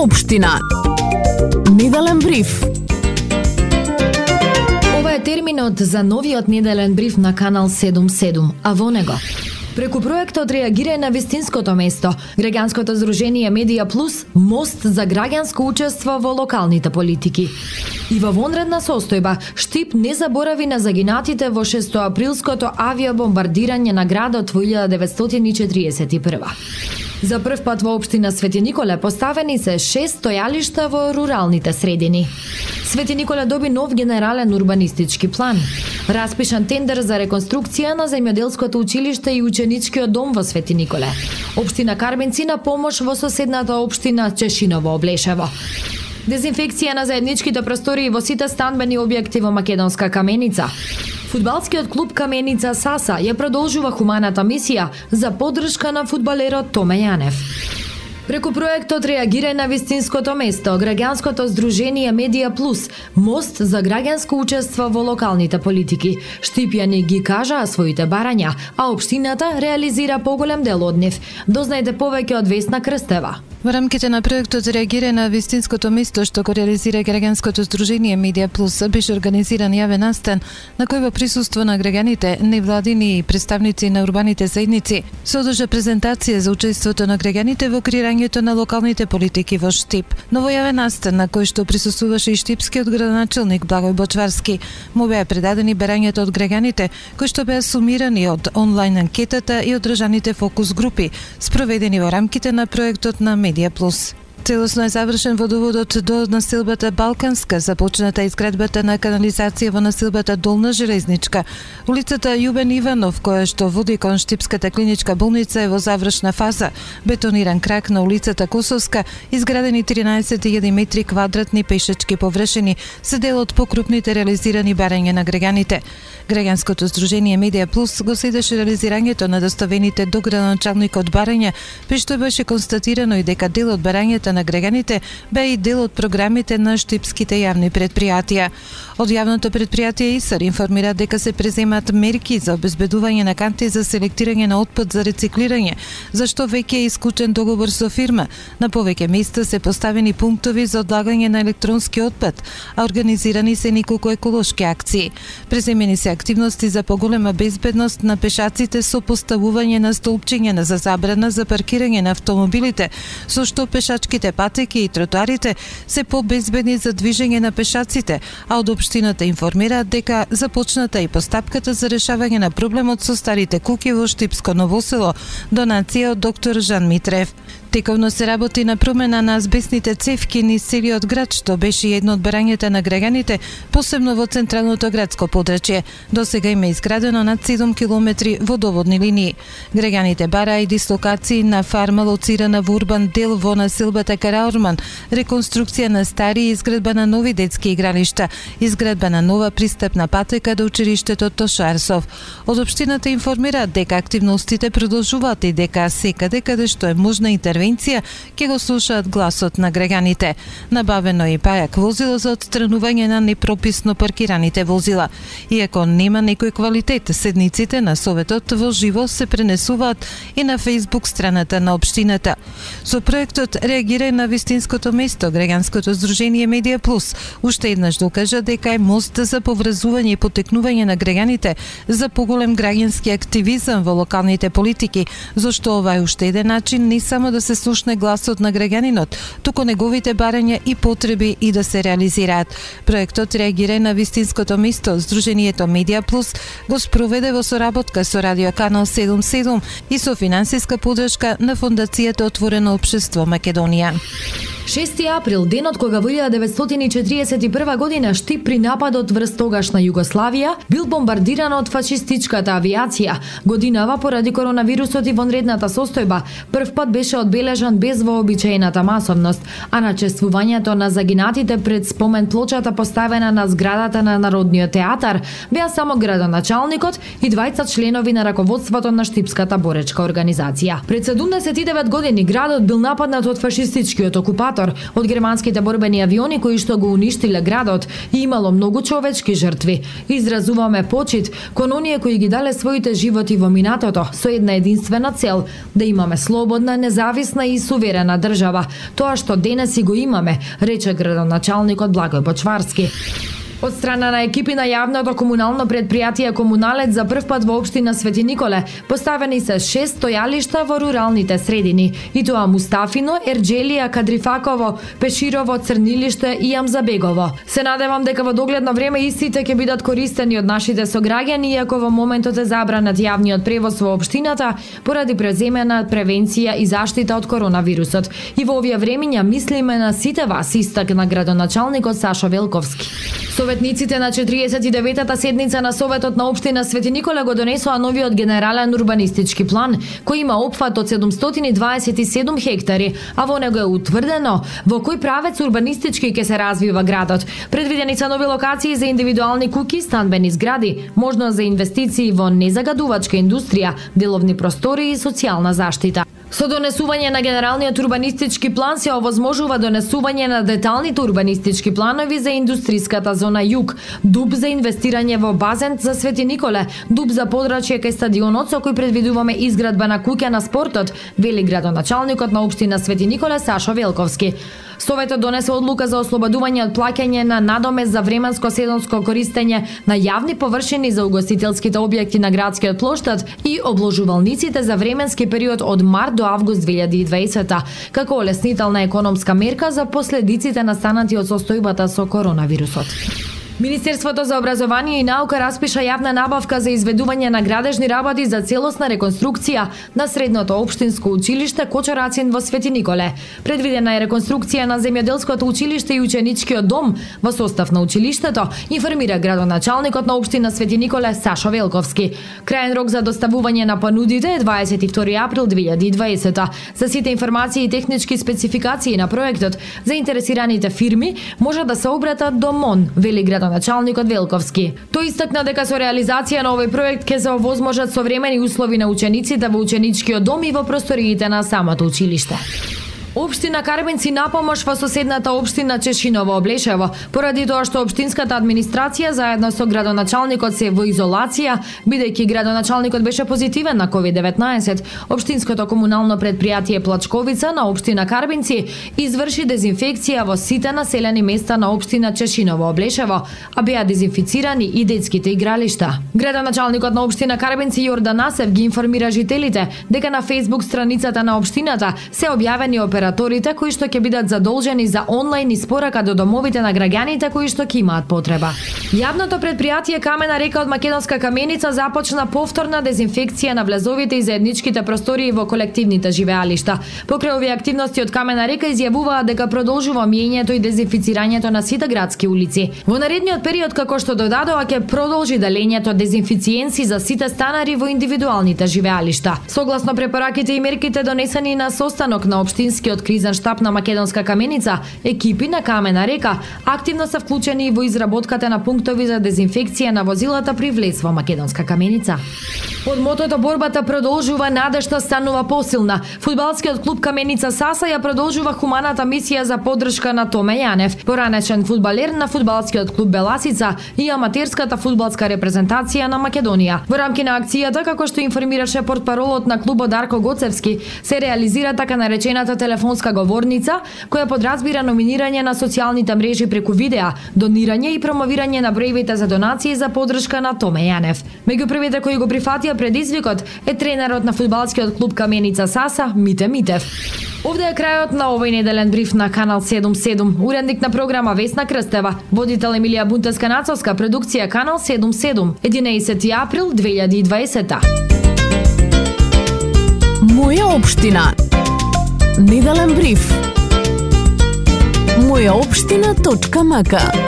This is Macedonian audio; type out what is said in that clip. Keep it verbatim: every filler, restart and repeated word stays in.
Општина. Неделен бриф. Ова е терминот за новиот неделен бриф на Канал седум седум, а во него преку проектот Реагирај на вистинското место, граѓанското здружение Медија Плюс, мост за граѓанско учество во локалните политики. И во вонредна состојба, Штип не заборави на загинатите во шестоаприлското авиобомбардирање на градот во илјада деветстотини и четиридесет и прва. За прв пат во општина Свети Николе поставени се шест стојалишта во руралните средини. Свети Николе доби нов генерален урбанистички план. Распишан тендер за реконструкција на земјоделското училиште и ученичкиот дом во Свети Николе. Општина Карбенци на помош во соседната општина Чешиново Облешево. Дезинфекција на заедничките простории во сите станбени објекти во Македонска Каменица. Фудбалскиот клуб Каменица Саса ја продолжува хуманата мисија за поддршка на фудбалерот Томе Јанев. Преку проектот Реагирај на вистинското место, граѓанското здружение Медија Плюс, мост за граѓанско учество во локалните политики, Штипјани ги кажаа своите барања, а општината реализира поголем дел од нив. Дознајте повеќе од Весна Крстева. Во рамките на проектот Реагирај на вистинското место, што го реализира граѓанското здружение Медија Плюс, беше организиран јавен настан на кој во присуство на граѓаните, невладини и представници на урбаните заедници се одржа презентација за учеството на граѓаните во креирањето на локалните политики во Штип. Но во јавен настан на кој што присуствуваше и штипскиот градоначелник Благој Бочварски, му беа предадени барањата од граѓаните, кои што беа сумирани од онлайн анкетата и одржаните фокус групи, спроведени во рамките на проектот на Медија Плюс. Целосно е завршен водоводот до населбата Балканска, започната изградбата на канализација во населбата Долна Железничка. Улицата Јубен Иванов, која што води кон Штипската клиничка болница, е во завршна фаза. Бетониран крак на улицата Косовска, изградени тринаесет илјади метри квадратни пешачки површини, се дел од покрупните реализирани барања на граѓаните. Граѓанското здружение Медија Плюс го следеше реализирањето на доставените до градоначалникот барања, при што беше констатирано и дека дел од барањата на граѓаните бе и дел од програмите на штипските јавни предпријатија. Од јавното предпријатие ИСАР информира дека се преземат мерки за обезбедување на канти за селектирање на отпад за рециклирање, зашто веќе е исклучен договор со фирма. На повеќе места се поставени пунктови за одлагање на електронски отпад, а организирани се неколку еколошки акции. Преземени се активности за поголема безбедност на пешаците со поставување на столпчиња за забрана за паркирање на автомобилите, со што пешачките патеки и тротоарите се побезбедни за движење на пешаците, а од општината информираат дека започната и постапката за решавање на проблемот со старите куќи во Штипско Ново село, донација од доктор Жан Митрев. Тековно се работи на промена на азбестните цевки низ целиот град, што беше едно од барањата на граѓаните, посебно во централното градско подрачје. До сега има изградено над седум километри водоводни линии. Граѓаните бараа и дислокации на фарма лоцирана во урбан дел во населбата Караорман, реконструкција на стари и изградба на нови детски игралишта, изградба на нова пристапна патека до училиштето Тоша Арсов. Од општината информираат дека активностите продолжуваат и дека секаде каде што е можна интервенција ќе го слушаат гласот на граѓаните. Набавено и пајак возило за отстранување на непрописно паркираните возила. Иако нема некој квалитет, седниците на советот во живо се пренесуваат и на Facebook страната на општината. Со проектот Реагирај на вистинското место, граѓанското здружение Медија Плюс уште еднаш докажа дека е мост за поврзување и потекнување на граѓаните за поголем граѓански активизам во локалните политики, зашто ова е уште еден начин не само да се слушне гласот на граѓанинот, туку неговите барања и потреби и да се реализираат. Проектот Реагирај на вистинското место, здружението Медија Плюс го спроведе во соработка со Радио Канал седум седум и со финансиска поддршка на Фондацијата Отворено општество Македонија. шести април, денот кога во илјада деветстотини и четиридесет и прва година Штип при нападот врз тогашна Југославија бил бомбардиран од фашистичката авиација. Годинава поради коронавирусот и вонредната состојба прв пат беше одбележан без вообичаената масовност, а начествувањето на загинатите пред спомен плочата поставена на зградата на Народниот театар беа само градоначалникот и двајца членови на раководството на Штипската боречка организација. Пред седумдесет и девет години градот бил нападнат од фашистичкиот окупатор провокатор од германските борбени авиони кои што го уништиле градот и имало многу човечки жртви. Изразуваме почит кон оние кои ги дале своите животи во минатото со една единствена цел да имаме слободна, независна и суверена држава. Тоа што денес и го имаме, рече градоначалникот Благој Бочварски. Од страна на екипи на јавното комунално предпријатие Комуналец за прв пат во општина Свети Николе поставени се шест стојалишта во руралните средини, и тоа Мустафино, Ерџелија, Кадрифаково, Пеширово, Црнилиште и Амзабегово. Се надевам дека во догледно време истите ќе бидат користени од нашите сограѓани, иако во моментот е забранет јавниот превоз во општината поради преземена превенција и заштита од коронавирусот. И во овие времиња мислиме на сите вас, истакна градоначалникот Сашо Велковски. Советниците на четириесет и деветата седница на Советот на општина Свети Николе го донесоа новиот генерален урбанистички план, кој има опфат од седумстотини дваесет и седум хектари, а во него е утврдено во кој правец урбанистички ќе се развива градот. Предвидени се нови локации за индивидуални куќи, станбени згради, можност за инвестиции во незагадувачка индустрија, деловни простори и социјална заштита. Со донесување на генералниот урбанистички план се овозможува донесување на деталните урбанистички планови за индустриската зона Југ, дуб за инвестирање во базен за Свети Николе, дуб за подрачје кај стадионот со кој предвидуваме изградба на куќа на спортот, вели градоначалникот на општина Свети Николе Сашо Велковски. Советот донесе одлука за ослободување од плаќање на надомест за временско сезонско користење на јавни површини за угостителските објекти на градскиот плоштад и обложувалниците за временски период од март до август две илјади и дваесета, како олеснителна економска мерка за последиците настанати од состојбата со коронавирусот. Министерството за образование и наука распиша јавна набавка за изведување на градежни работи за целосна реконструкција на средното општинско училиште Кочорацин во Свети Николе. Предвидена е реконструкција на земјоделското училиште и ученичкиот дом во состав на училиштето, информира градоначалникот на општина Свети Николе Сашо Велковски. Крајен рок за доставување на понудите е дваесет и втори април две илјади и дваесета. За сите информации и технички спецификации на проектот, заинтересираните фирми може да се обратат до МОН, вели градоначалникот Велковски. Тој истакна дека со реализација на овој проект ќе се овозможат современи услови на учениците во ученичкиот дом и во просториите на самото училиште. Општина Карбенци на помош во соседната општина Чешиново Облешево, поради тоа што општинската администрација заедно со градоначалникот се во изолација, бидејќи градоначалникот беше позитивен на ковид деветнаесет. Општинското комунално предпријатие Плачковица на општина Карбенци изврши дезинфекција во сите населени места на општина Чешиново Облешево, а беа дезинфицирани и детските игралишта. Градоначалникот на општина Карбенци Јордан Насев ги информира жителите дека на Facebook страницата на општината се објавени оперативни операторите кои што ќе бидат задолжени за онлайн испорака до домовите на граѓаните кои што ќе имаат потреба. Јавното предпријатие Камена река од Македонска каменица започна повторна дезинфекција на влезовите и заедничките простории во колективните живеалишта. Покрај овие активности од Камена река изјавуваа дека продолжува миењето и дезинфицирањето на сите градски улици. Во наредниот период, како што додадоа, ќе продолжи делењето дезинфициенси за сите станари во индивидуалните живеалишта. Согласно препораките и мерките донесени на состанок на општинскиот кризен штаб на Македонска каменица, екипи на Камена река активно се вклучени во изработката на пунктови за дезинфекција на возилата при влез во Македонска каменица. Под мотото борбата продолжува, надежта станува посилна. Фудбалскиот клуб Каменица Саса ја продолжува хуманата мисија за поддршка на Томе Јанев, поранешен фудбалер на фудбалскиот клуб Беласица и аматерската фудбалска репрезентација на Македонија. Во рамки на акцијата, како што информираше портпаролот на клубот Дарко Гоцевски, се реализира така наречената телефонска говорница, која подразбира номинирање на социјалните мрежи преку видеа, донирање и промовирање на броевите за донации за поддршка на Томе Јанев. Меѓу првите кои го прифатија предизвикот е тренерот на фудбалскиот клуб Каменица Саса Мите Митев. Овде е крајот на овој неделен бриф на Канал седум седум. Уредник на програма Весна Крстева, водител Емилија Бунтеска-Нацовска, продукција Канал седум седум, единаесети април две илјади и дваесета. Моја општина. Неделен бриф. моја општина точка м к